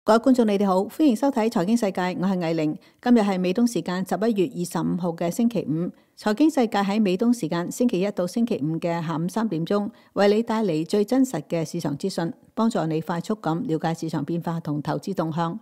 各位觀眾，你哋好，歡迎收睇財經世界，我係藝玲。今日係美東時間11月25號嘅星期五。財經世界喺美東時間星期一到星期五嘅下午3點鐘，為你帶嚟最真實嘅市場資訊，幫助你快速咁了解市場變化同投資動向。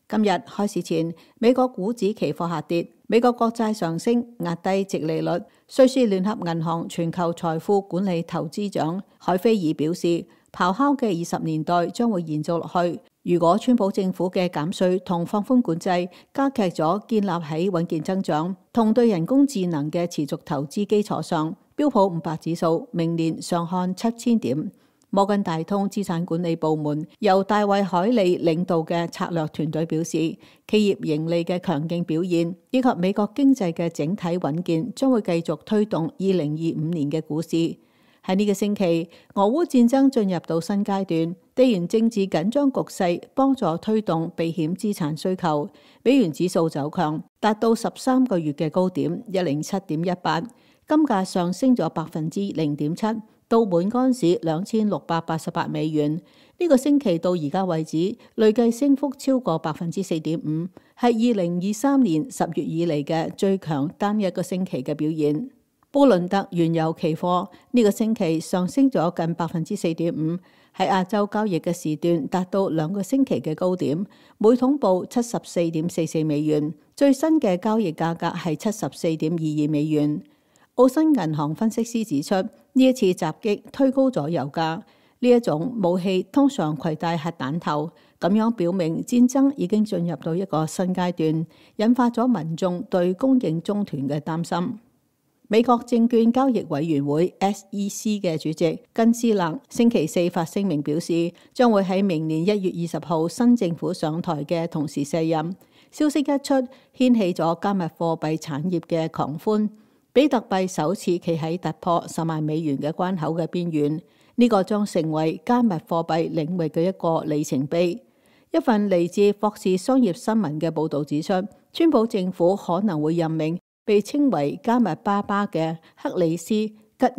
今日開市前，美國股指期貨下跌，美國國債上升，壓低殖利率。瑞士聯合銀行全球財富管理投資長海菲爾表示，咆哮嘅20年代將會延續落去。如果川普政府嘅減稅同放寬管制加劇咗建立喺穩健增長同對人工智能嘅持續投資基礎上，標普500指數明年上看7000點。摩根大通資產管理部門由大衛海利領導嘅策略團隊表示，企業盈利嘅強勁表現以及美國經濟嘅整體穩健將會繼續推動2025年嘅股市。喺呢個星期，俄烏戰爭進入到新階段，地緣政治緊張局勢幫助推動避險資產需求，美元指數走強，達到13個月嘅高點107.18，金價上升咗0.7%，到每盎司2688美元。呢個星期到而家為止，累計升幅超過4.5%，係2023年10月以嚟嘅最強單一個星期嘅表現。布倫特原油期貨呢個星期上升咗近4.5%，喺亞洲交易嘅時段達到2個星期嘅高點，每桶報74.44美元，最新嘅交易價格係74.22美元。澳新銀行分析師指出，呢一次襲擊推高咗油價，呢一種武器通常攜帶核彈頭，咁樣表明戰爭已經進入到一個新階段，引發咗民眾對供應中斷嘅擔心。美國證券交易委員會 SEC 嘅主席根斯勒星期四發聲明表示，將會喺明年1月20號新政府上台嘅同時卸任。消息一出，掀起咗加密貨幣產業嘅狂歡，比特幣首次企喺突破10萬美元嘅關口嘅邊緣，呢個將成為加密貨幣領域嘅一個里程碑。一份嚟自霍士商業新聞嘅報導指出，川普政府可能會任命被稱為加密爸爸嘅克里斯吉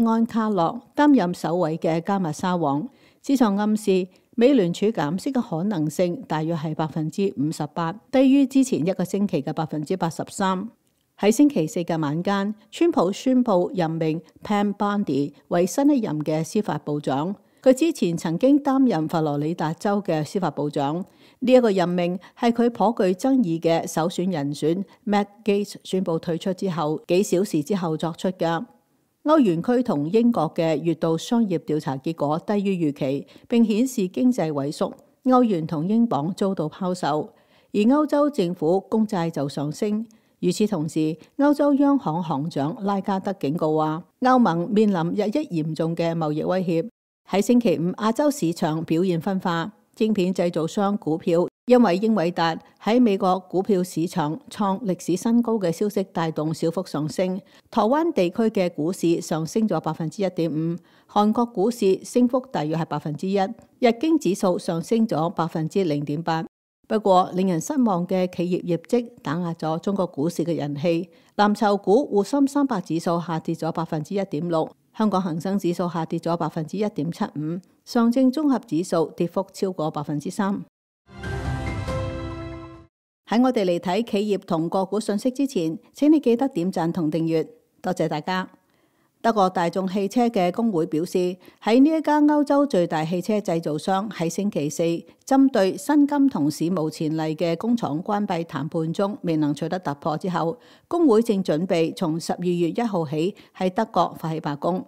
安卡洛擔任首位嘅加密沙皇。市場暗示美聯儲減息嘅可能性大約係58%，低於之前一個星期嘅83%。喺星期四嘅晚間，川普宣布任命 Pam Bondi 為新一任嘅司法部長。佢之前曾經擔任佛羅里達州嘅司法部長。呢一個任命係佢頗具爭議嘅首選人選 Matt Gaetz 宣布退出之後幾小時之後作出嘅。歐元區同英國嘅月度商業調查結果低於預期，並顯示經濟萎縮，歐元同英鎊遭到拋售，而歐洲政府公債就上升。與此同時，歐洲央行行長拉加德警告話，歐盟面臨日益嚴重嘅貿易威脅。喺星期五，亞洲市場表現分化。晶片製造商股票因為英偉達喺美國股票市場創歷史新高嘅消息帶動小幅上升。台灣地區嘅股市上升咗1.5%，韓國股市升幅大約係1%，日經指數上升咗0.8%。不過令人失望嘅企業業績打壓咗中國股市嘅人氣，藍籌股滬深300指數下跌咗1.6%。香港恒生指數下跌咗1.75%，上證綜合指數跌幅超過3%。喺我哋嚟睇企業同個股信息之前，請你記得點讚同訂閱，多謝大家。德國大眾汽車嘅工會表示，喺呢一家歐洲最大汽車製造商喺星期四針對薪金同史無前例嘅工廠關閉談判中未能取得突破之後，工會正準備從12月1號起喺德國發起罷工。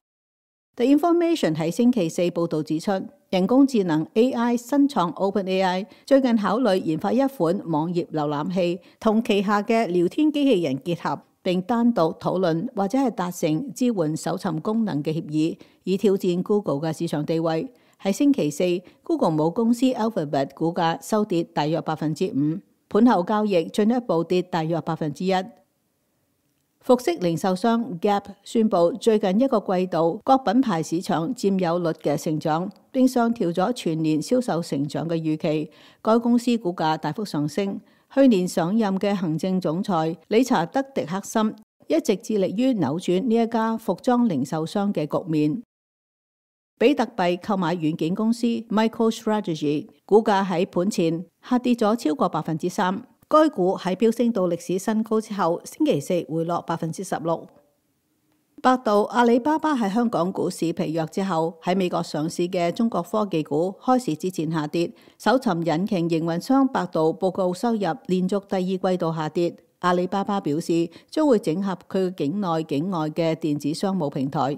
The Information 喺星期四報導指出，人工智能 AI 新創 OpenAI 最近考慮研發一款網頁瀏覽器，同旗下嘅聊天機器人結合，並單獨討論或者係達成支援搜尋功能嘅協議，以挑戰 Google 嘅市場地位。喺星期四 ，Google 母公司 Alphabet 股價收跌大約5%，盤後交易進一步跌大約1%。服飾零售商 Gap 宣布最近一個季度各品牌市場佔有率嘅成長，並上調咗全年銷售成長嘅預期。該公司股價大幅上升。去年上任嘅行政總裁理查德·迪克森一直致力於扭轉呢一家服裝零售商嘅局面。比特幣購買軟件公司 MicroStrategy 股價喺盤前下跌咗超過3%，該股喺飆升到歷史新高之後，星期四回落16%。百度、阿里巴巴喺香港股市疲弱之後，喺美國上市嘅中國科技股開市之前下跌。搜尋引擎營運商百度報告收入連續第二季度下跌。阿里巴巴表示將會整合佢境內境外嘅電子商務平台。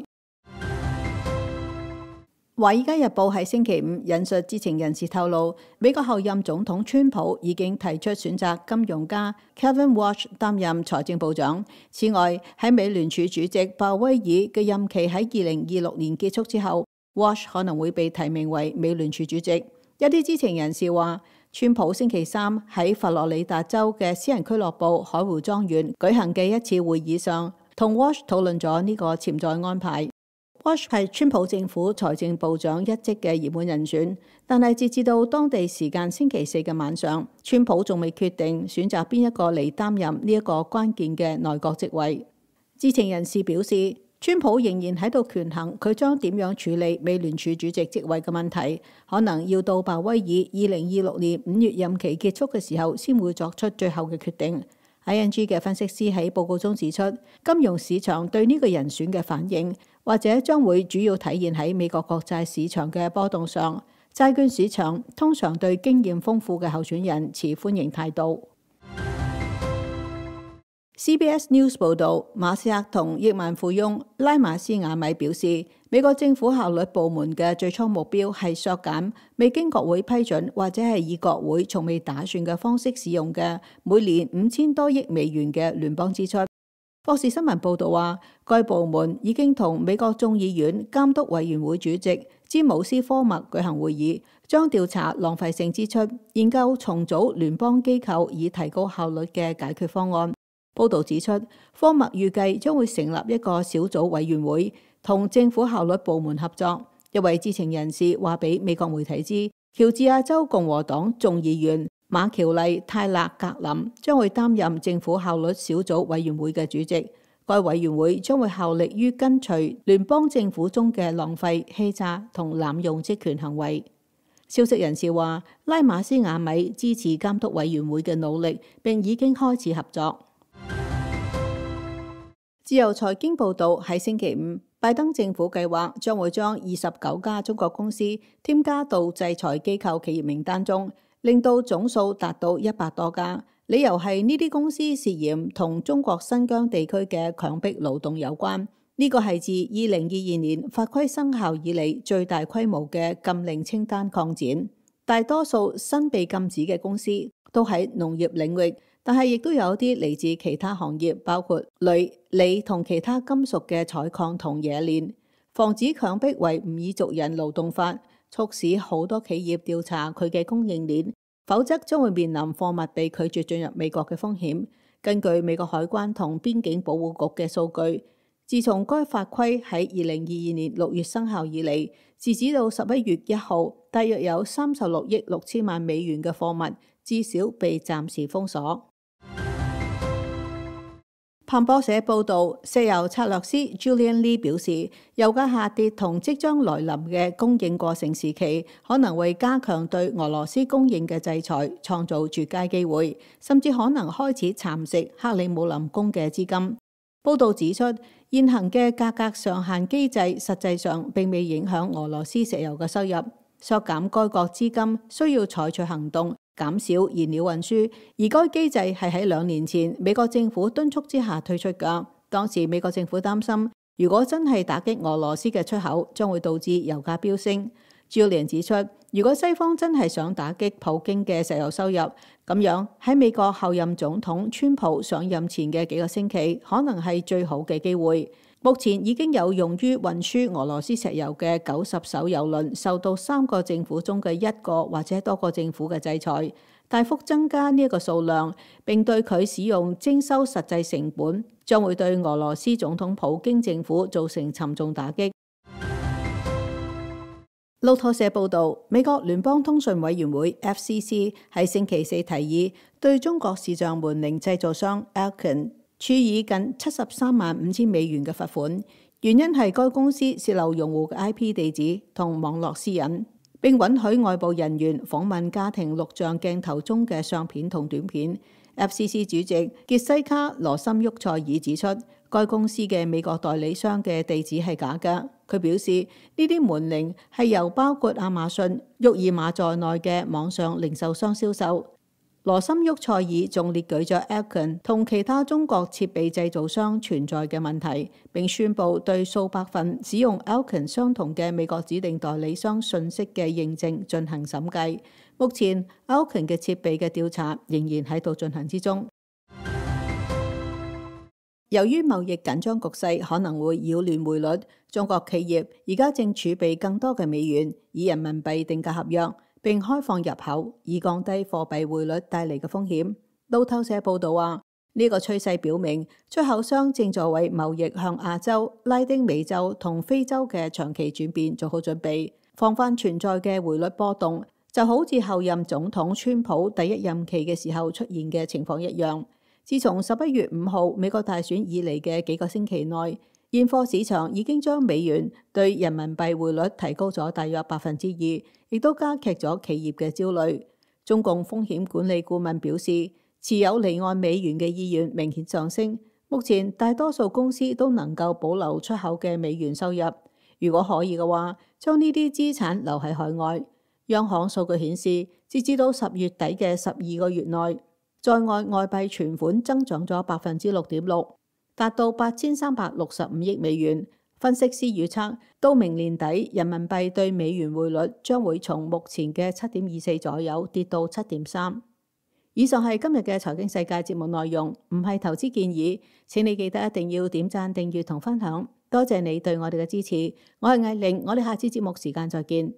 《華爾街日報》喺星期五引述知情人士透露，美國後任總統川普已經提出選擇金融家 Kevin Warsh 擔任財政部長。此外，喺美聯儲主席鮑威爾嘅任期喺2026年結束之後， Warsh 可能會被提名為美聯儲主席。一啲知情人士話，川普星期三喺佛羅里達州嘅私人俱樂部海湖莊園舉行嘅一次會議上，同 Warsh 討論咗呢個潛在安排。Warsh 係川普政府財政部長一職嘅熱門人選，但係截至到當地時間星期四嘅晚上，川普仲未決定選擇邊一個嚟擔任呢一個關鍵嘅內閣職位。知情人士表示，川普仍然喺度權衡佢將點樣處理美聯儲主席職位嘅問題，可能要到鮑威爾2026年5月任期結束嘅時候先會作出最後嘅決定。ING 嘅分析師喺報告中指出，金融市場對呢個人選嘅反應，或者將會主要體現喺美國國債市場嘅波動上。債券市場通常對經驗豐富嘅候選人持歡迎態度。CBS News 報導，馬斯克同億萬富翁拉馬斯亞米表示，美國政府效率部門嘅最初目標係削減未經國會批准或者係以國會從未打算嘅方式使用嘅每年5000多億美元嘅聯邦支出。霍士新聞報導話，該部門已經同美國眾議院監督委員會主席詹姆斯科默舉行會議，將調查浪費性支出，研究重組聯邦機構以提高效率嘅解決方案。報導指出，科默預計將會成立一個小組委員會，同政府效率部門合作。一位知情人士話俾美國媒體知，喬治亞州共和黨眾議員馬喬麗泰勒格林將會擔任政府效率小組委員會嘅主席。該委員會將會效力於跟隨聯邦政府中嘅浪費、欺詐同濫用職權行為。消息人士話，拉馬斯亞米支持監督委員會嘅努力，並已經開始合作。自由財經報導喺星期五，拜登政府計劃將會將29家中國公司添加到制裁機構企業名單中，令到總數達到100多家。理由係呢啲公司涉嫌同中國新疆地區嘅強迫勞動有關。呢個係自2022年法規生效以嚟最大規模嘅禁令清單擴展。大多數新被禁止嘅公司都喺農業領域，但係亦都有啲嚟自其他行業，包括鋁、鋰同其他金屬嘅採礦同冶煉。防止強迫維吾爾族人勞動法促使好多企業調查佢嘅供應鏈，否則將會面臨貨物被拒絕進入美國嘅風險。根據美國海關同邊境保護局嘅數據，自從該法規喺2022年6月生效以嚟，截止到11月1號，大約有36億6千萬美元嘅貨物至少被暫時封鎖。彭博社報導，石油策略師 Julian Lee 表示，油價下跌同即將來臨嘅供應過剩時期，可能為加強對俄羅斯供應嘅制裁創造絕佳機會，甚至可能開始蠶食克里姆林宮嘅資金。報導指出，現行嘅價格上限機制實際上並未影響俄羅斯石油嘅收入，削減該國資金需要採取行動，減少燃料運輸，而該機制係喺2年前美國政府敦促之下推出㗎。當時美國政府擔心，如果真係打擊俄羅斯嘅出口，將會導致油價飆升。Julian 指出，如果西方真係想打擊普京嘅石油收入，咁樣喺美國後任總統川普上任前嘅幾個星期，可能係最好嘅機會。目前已經有用於運輸俄羅斯石油嘅90艘油輪受到3個政府中嘅1個或者多個政府嘅制裁，大幅增加呢一個數量，並對佢使用徵收實際成本，將會對俄羅斯總統普京政府造成沉重打擊。路透社報導，美國聯邦通訊委員會 FCC 喺星期四提議對中國視像門鈴製造商 Alcon 處以近73萬5千美元嘅罰款，原因係該公司洩漏用戶嘅 IP 地址同網絡私隱，並允許外部人員訪問家庭錄像鏡頭中嘅相片同短片。FCC 主席傑西卡·羅森沃塞爾指出，該公司嘅美國代理商嘅地址係假嘅。佢表示，呢啲門鈴係由包括亞馬遜、沃爾瑪在內嘅網上零售商銷售。羅森沃塞爾仲列舉咗 Alcon 同其他中國設備製造商存在嘅問題，並宣布對數百份使用 Alcon 相同嘅美國指定代理商信息嘅認證進行審計。目前 Alcon 嘅設備嘅調查仍然喺度進行之中。由於貿易緊張局勢可能會擾亂匯率，中國企業而家正儲備更多嘅美元，以人民幣定價合約，並開放入口，以降低貨幣匯率帶嚟嘅風險。路透社報道話，呢個趨勢表明出口商正在為貿易向亞洲、拉丁美洲同非洲嘅長期轉變做好準備，防範存在嘅匯率波動，就好似後任總統川普第一任期嘅時候出現嘅情況一樣。自從11月5號美國大選以嚟嘅幾個星期內，現貨市場已經將美元對人民幣匯率提高咗大約2%，亦都加劇咗企業嘅焦慮。中共風險管理顧問表示，持有離岸美元嘅意願明顯上升。目前大多數公司都能夠保留出口嘅美元收入，如果可以嘅話，將呢啲資產留喺海外。央行數據顯示，截至到10月底嘅12個月內，在外外幣存款增長咗6.6%，達到8365億美元。分析師預測，到明年底，人民幣對美元匯率將會從目前嘅7.24左右跌到7.3。以上係今日嘅財經世界節目內容，唔係投資建議。請你記得一定要點讚、訂閱同分享。多謝你對我哋嘅支持。我係艾玲，我哋下次節目時間再見。